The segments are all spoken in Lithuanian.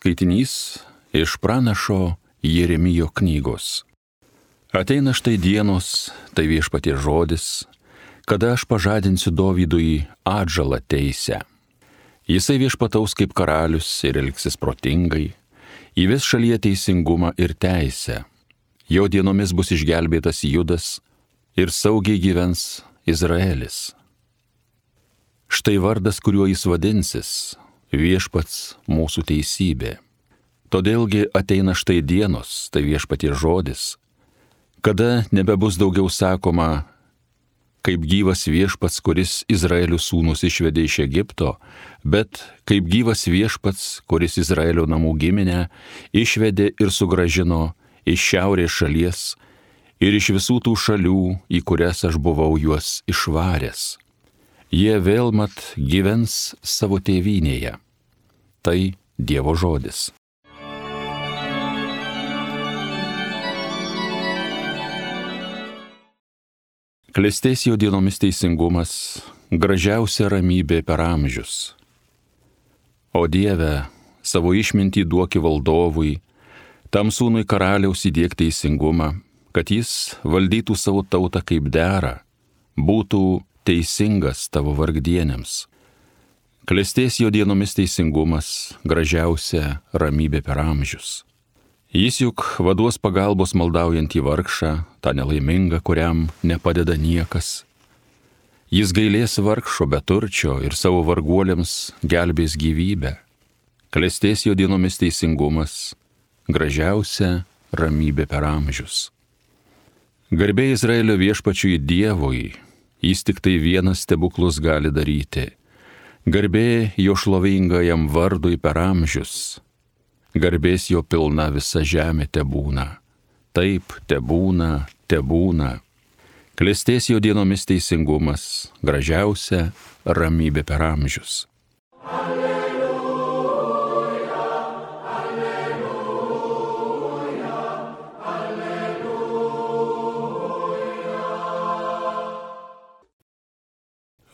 Skaitinys iš pranašo Jeremijo knygos. Ateina štai dienos, tai viešpaties žodis, kada aš pažadinsiu Dovydui atžalą teisę. Jisai viešpataus kaip karalius ir elgsis protingai, įves šalyje teisingumą ir teisę. Jo dienomis bus išgelbėtas Judas ir saugiai gyvens Izraelis. Štai vardas, kuriuo jis vadinsis, viešpats mūsų teisybė. Todėlgi ateina štai dienos, tai viešpaties žodis, kada nebebus daugiau sakoma, kaip gyvas viešpats, kuris Izraelio sūnus išvedė iš Egipto, bet kaip gyvas viešpats, kuris Izraelio namų giminę išvedė ir sugrąžino iš šiaurės šalies ir iš visų tų šalių, į kurias aš buvau juos išvaręs. Jie vėl mat gyvens savo tėvynėje. Tai Dievo žodis. Klestės jo dienomis teisingumas, gražiausia ramybė per amžius. O Dieve, savo išmintį duoki valdovui, tam sūnui karaliaus įdiek teisingumą, kad jis valdytų savo tautą kaip dera, būtų teisingas tavo vargdienėms. Klestės jo dienomis teisingumas, gražiausia ramybė per amžius. Jis juk vaduos pagalbos maldaujantį vargšą, tą nelaimingą, kuriam nepadeda niekas. Jis gailės vargšo beturčio ir savo varguoliams gelbės gyvybę. Klestės jo dienomis teisingumas, gražiausia ramybė per amžius. Garbė Izraelio viešpačiui Dievui, jis tik tai vienas stebuklus gali daryti. Garbė jo šlovingajam vardui per amžius. Garbės jo pilna visa žemė tebūna. Taip, tebūna, tebūna. Klestės jo dienomis teisingumas, gražiausia ramybė per amžius.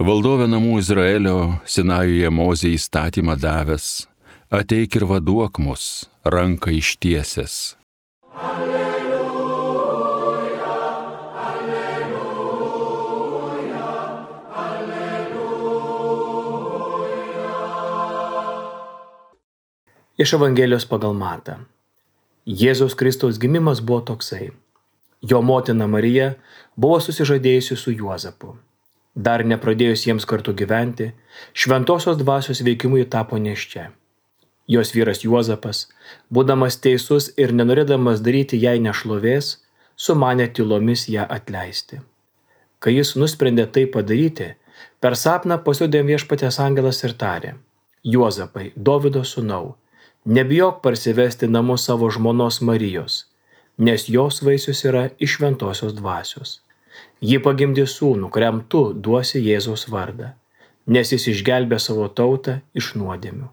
Valdove namų Izraelio, Sinajuje Mozei įstatymą davęs, ateik ir vaduok mus, ranką ištiesęs. Alleluja, alleluja, alleluja. Iš Evangelijos pagal Matą. Jėzaus Kristaus gimimas buvo toksai. Jo motina Marija buvo susižadėjusi su Juozapu. Dar nepradėjus jiems kartu gyventi, šventosios dvasios veikimui tapo nėščia. Jos vyras Juozapas, būdamas teisus ir nenorėdamas daryti jai nešlovės, sumanė tylomis ją atleisti. Kai jis nusprendė tai padaryti, per sapną pasirodė viešpaties angelas ir tarė: Juozapai, Dovydo sūnau, nebijok parsivesti namo savo žmonos Marijos, nes jos vaisius yra iš šventosios dvasios. Ji pagimdė sūnų, kuriam tu duosi Jėzaus vardą, nes jis išgelbė savo tautą iš nuodėmių.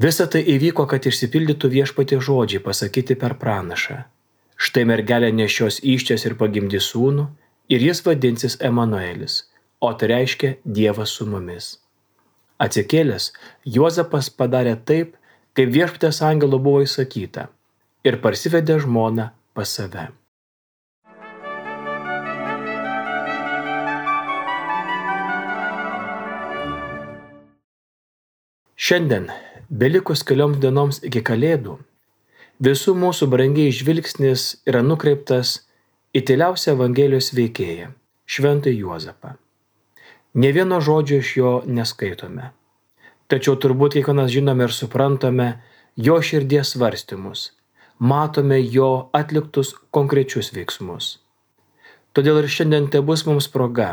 Visa tai įvyko, kad išsipildytų viešpaties žodžiai pasakyti per pranašą. Štai mergelė nešios įsčias ir pagimdys sūnų, ir jis vadinsis Emanuelis, o tai reiškia Dievas su mumis. Atsikėlęs, Juozapas padarė taip, kaip viešpaties angelo buvo įsakyta, ir parsivedė žmoną pas save. Šiandien, belikus kelioms dienoms iki Kalėdų, visų mūsų brangiai žvilgsnis yra nukreiptas į tyliausią Evangelijos veikėją, šventąjį Juozapą. Nė vieno žodžio iš jo neskaitome, tačiau turbūt kiekvienas žinome ir suprantame jo širdies svarstymus, matome jo atliktus konkrečius veiksmus. Todėl ir šiandien tebus mums proga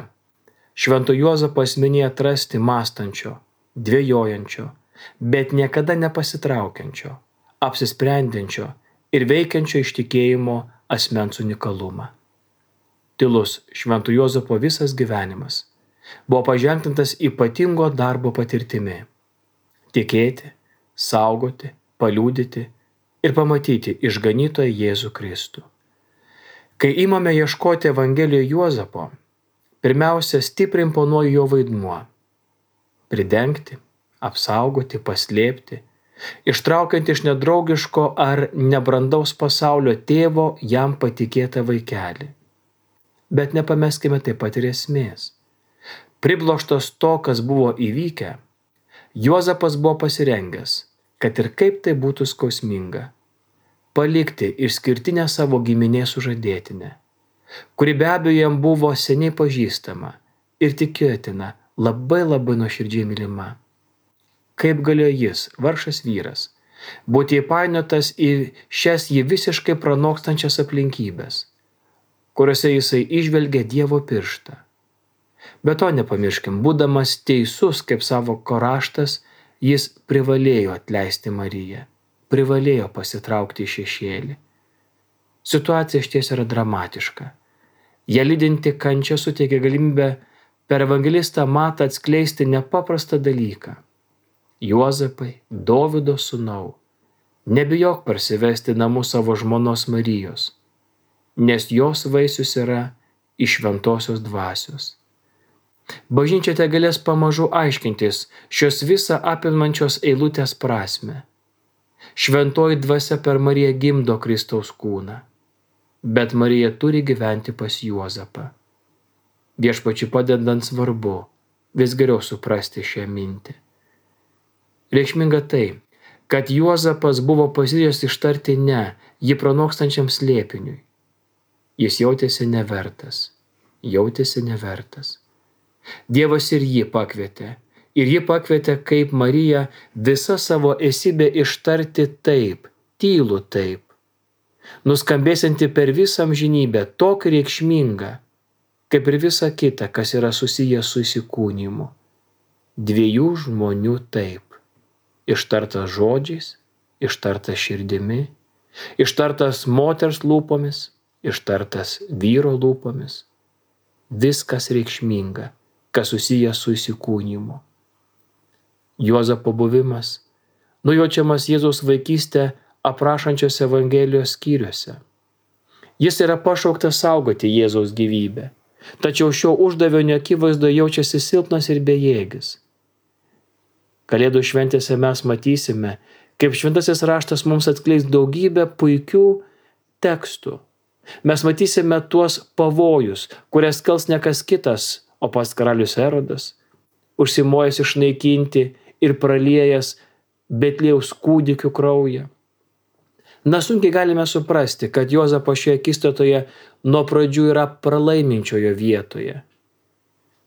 švento Juozapo asmenyje atrasti mąstančio, dvejojančio, bet niekada nepasitraukiančio, apsisprendžiančio ir veikiančio iš tikėjimo asmens unikalumą. Tylus švento Juozapo visas gyvenimas buvo paženklintas ypatingo darbo patirtimi – tikėti, saugoti, paliudyti ir pamatyti išganytoją Jėzų Kristų. Kai imame ieškoti Evangelijoje Juozapo, pirmiausia stipriai imponuoja jo vaidmuo – pridengti, apsaugoti, paslėpti, ištraukiant iš nedraugiško ar nebrandaus pasaulio tėvo jam patikėtą vaikelį. Bet nepameskime taip pat ir esmės. Pribloštas to, kas buvo įvykę, Juozapas buvo pasirengęs, kad ir kaip tai būtų skausminga, palikti išskirtinę savo giminės sužadėtinę, kuri be abejo jam buvo seniai pažįstama ir tikėtina labai nuoširdžiai mylima. Kaip galėjo jis, vargšas vyras, būti įpainiotas į šias jį visiškai pranokstančias aplinkybės, kuriuose jisai įžvelgia Dievo pirštą. Be to nepamirškim, būdamas teisus kaip savo raštas, jis privalėjo atleisti Mariją, privalėjo pasitraukti į šešėlį. Situacija išties yra dramatiška. Ją lydinti kančia suteikia galimybę per evangelistą Matą atskleisti nepaprastą dalyką. Juozapai, Dovydo sūnau, nebijok parsivesti namų savo žmonos Marijos, nes jos vaisius yra iš šventosios dvasios. Bažnyčia te galės pamažu aiškintis šios visą apimančios eilutės prasme. Šventoji dvasia per Mariją gimdo Kristaus kūną, bet Marija turi gyventi pas Juozapą. Viešpačiui padedant svarbu vis geriau suprasti šią mintį. Reikšminga tai, kad Juozapas buvo pasiryžęs ištarti ne jį pranokstančiam slėpiniui. Jis jautėsi nevertas. Dievas ir jį pakvietė kaip Mariją visą savo esybę ištarti taip, tylų taip, nuskambėsianti per visą amžinybę tokį reikšmingą, kaip ir visa kita, kas yra susijęs su įsikūnijimu. Dviejų žmonių taip, ištartas žodžiais, ištartas širdimi, ištartas moters lūpomis, ištartas vyro lūpomis. Viskas reikšminga, kas susijęs su įsikūnijimu. Juozapo buvimas nujaučiamas Jėzaus vaikystę aprašančios Evangelijos skyriuose. Jis yra pašauktas saugoti Jėzaus gyvybę, tačiau šio uždavinio akivaizdoje jaučiasi silpnas ir bejėgis. Kalėdų šventėse mes matysime, kaip šventasis raštas mums atskleis daugybę puikių tekstų. Mes matysime tuos pavojus, kurias kels ne kas kitas, o pats karalius Erodas, užsimojęs išnaikinti ir praliejęs Betliejaus kūdikių kraują. Sunkiai galime suprasti, kad Juozapo šioje akistatoje nuo pradžių yra pralaiminčiojo vietoje.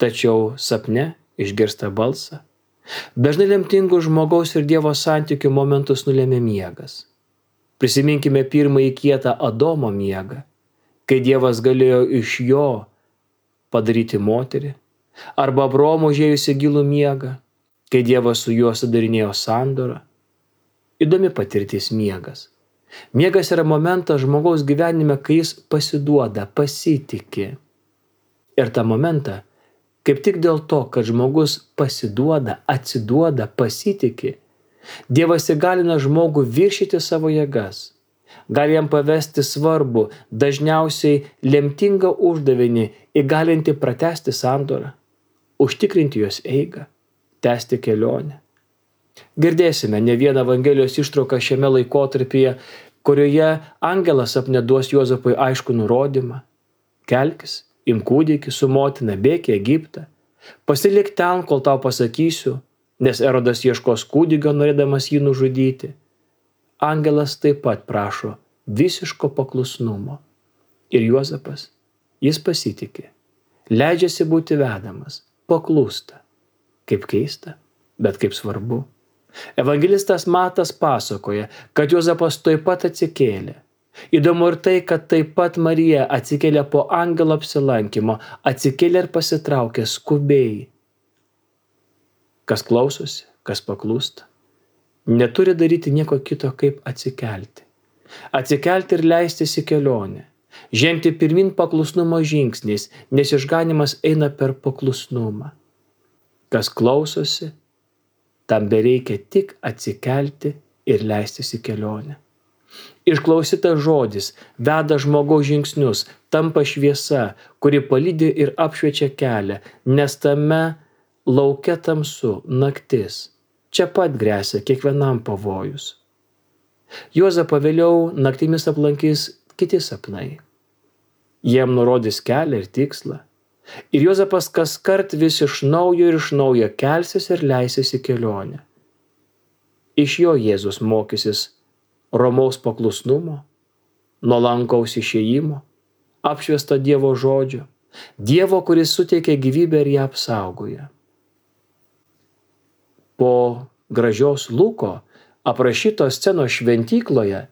Tačiau sapne išgirsta balsą. Dažnai lemtingų žmogaus ir Dievo santykių momentus nulėmė miegas. Prisiminkime pirmąjį kietą Adomo miegą, kai Dievas galėjo iš jo padaryti moterį, arba Abraomo užėjusi gilų miegą, kai Dievas su juo sudarinėjo sandorą. Įdomi patirtis miegas. Miegas yra momentas žmogaus gyvenime, kai jis pasiduoda, pasitiki. Ir tą momentą, kaip tik dėl to, kad žmogus pasiduoda, atsiduoda, pasitiki, Dievas įgalina žmogų viršyti savo jėgas. Gali jam pavesti svarbų, dažniausiai lemtingą uždavinį įgalinti pratęsti sandorą, užtikrinti jos eigą, tęsti kelionę. Girdėsime ne vieną Evangelijos ištrauką šiame laikotarpyje, kurioje angelas sapne duos Juozapui aiškų nurodymą. Kelkis, imk kūdikį su motina, bėk į Egiptą, pasilik ten, kol tau pasakysiu, nes Erodas ieškos kūdikio, norėdamas jį nužudyti. Angelas taip pat prašo visiško paklusnumo. Ir Juozapas, jis pasitiki, leidžiasi būti vedamas, paklūsta. Kaip keista, bet kaip svarbu. Evangelistas Matas pasakoja, kad Juozapas taip pat atsikėlė. Įdomu ir tai, kad taip pat Marija atsikėlė po angelo apsilankymo, atsikėlė ir pasitraukė skubiai. Kas klausosi, kas paklūsta, neturi daryti nieko kito, kaip atsikelti. Atsikelti ir leistis į kelionę. Žengti pirmin paklusnumo žingsniais, nes išganymas eina per paklusnumą. Kas klausosi, tam bereikia tik atsikelti ir leistis į kelionę. Išklausytas žodis veda žmogaus žingsnius, tampa šviesa, kuri palydi ir apšviečia kelią, nes tame lauke tamsu, naktis. čia pat grėsia kiekvienam pavojus. Juozapą vėliau naktimis aplankys kiti sapnai. Jiem nurodys kelią ir tikslą. Ir Juozapas kaskart vis iš naujo kelsis ir leisis į kelionę. Iš jo Jėzus mokysis romaus paklusnumo, nuolankaus išėjimo, apšviesto Dievo žodžio, Dievo, kuris suteikia gyvybę ir ją apsaugoja. Po gražios Luko aprašytos scenos šventykloje,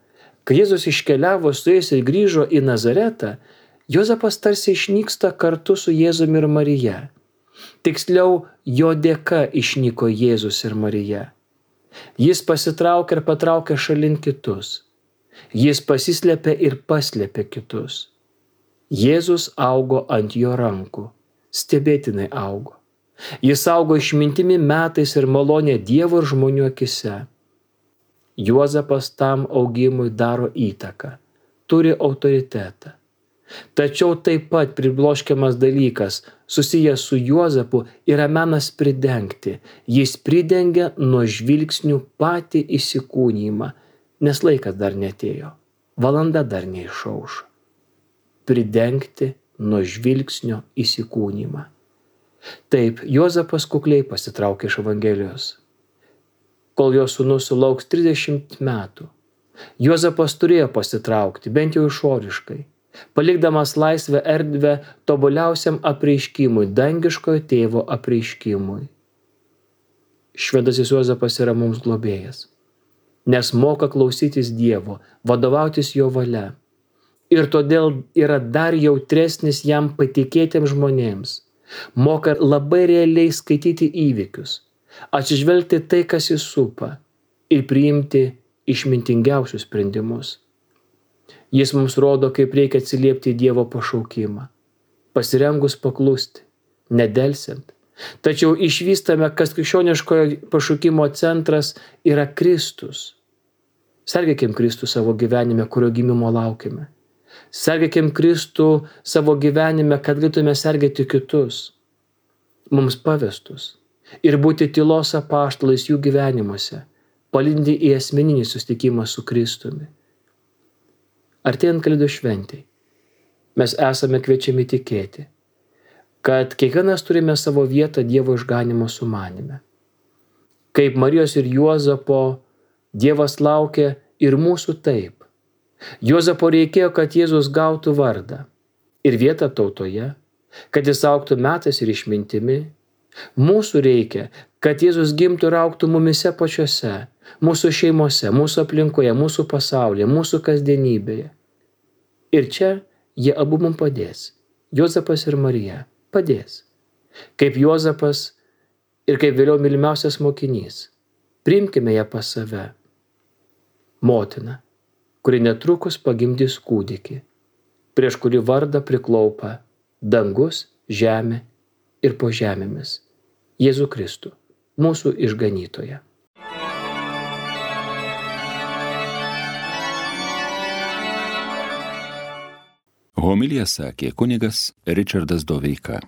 kai Jėzus iškeliavo su jais ir grįžo į Nazaretą, Juozapas tarsi išnyksta kartu su Jėzumi ir Marija. Tiksliau, jo dėka išnyko Jėzus ir Marija. Jis pasitraukė ir patraukė šalin kitus. Jis pasislėpė ir paslėpė kitus. Jėzus augo ant jo rankų, stebėtinai augo. Jis augo išmintimi, metais ir malonė Dievo ir žmonių akise. Juozapas tam augimui daro įtaką, turi autoritetą. Tačiau taip pat pribloškiamas dalykas, susijęs su Juozapu, yra menas pridengti. Jis pridengia nuo žvilgsnių patį įsikūnijimą, nes laikas dar neatėjo, valanda dar neišaušo. Pridengti nuo žvilgsnio įsikūnijimą. Taip, Juozapas kukliai pasitraukė iš Evangelijos. Kol jo sūnus sulauks 30 metų, Juozapas turėjo pasitraukti, bent jau išoriškai, palikdamas laisvę erdvę tobuliausiam apreiškimui, dangiškojo tėvo apreiškimui. Šventasis Juozapas yra mums globėjas, nes moka klausytis Dievo, vadovautis jo valia. Ir todėl yra dar jautresnis jam patikėtiems žmonėms. Moka labai realiai skaityti įvykius, atsižvelgti tai, kas jį supa, ir priimti išmintingiausius sprendimus. Jis mums rodo, kaip reikia atsiliepti į Dievo pašaukimą, pasirengus paklusti, nedelsiant. Tačiau išvystame, kas krikščioniškojo pašaukimo centras yra Kristus. Sergėkim Kristų savo gyvenime, kurio gimimo laukime. Sergėkim Kristų savo gyvenime, kad galėtume sergėti kitus, mums pavestus, ir būti tylos apaštalais jų gyvenimuose, palydinti į asmeninį susitikimą su Kristumi. Artėjant Kalėdų šventei, mes esame kviečiami tikėti, kad kiekvienas turime savo vietą Dievo išganymo sumanyme. Kaip Marijos ir Juozapo, Dievas laukia ir mūsų taip. Juozapo reikėjo, kad Jėzus gautų vardą ir vietą tautoje, kad jis augtų metais ir išmintimi. Mūsų reikia, kad Jėzus gimtų ir augtų mumise pačiuose, mūsų šeimose, mūsų aplinkoje, mūsų pasaulyje, mūsų kasdienybėje. Ir čia jie abu mums padės. Juozapas ir Marija padės. Kaip Juozapas ir kaip vėliau mylimiausias mokinys. Priimkime ją pas save. Motina, kuri netrukus pagimdys kūdikį, prieš kurį vardą priklaupa dangus, žemė ir po žemėmis. Jėzų Kristų, mūsų išganytoją. Homiliją sakė kunigas Ričardas Doveika.